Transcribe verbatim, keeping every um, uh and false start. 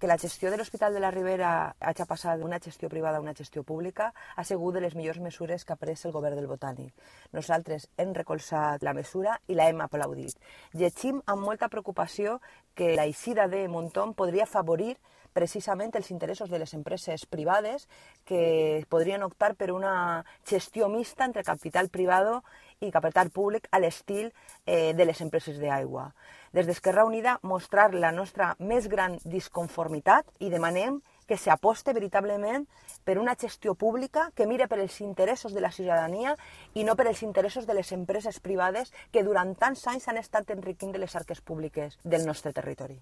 Que la gestió de l'Hospital de la Ribera hagi passat d'una gestió privada a una gestió pública ha sigut de les millors mesures que ha pres el govern del Botànic. Nosaltres hem recolzat la mesura i la hem aplaudit. Llegim amb molta preocupació que la eixida de Monton podria afavorir precisament els interessos de les empreses privades que podrien optar per una gestió mixta entre capital privado i capital públic a l'estil eh, de les empreses d'aigua. Des d'Esquerra Unida mostrar la nostra més gran disconformitat i demanem que s'aposte veritablement per una gestió pública que mire per els interessos de la ciutadania i no per els interessos de les empreses privades que durant tants anys han estat enriquint de les arques públiques del nostre territori.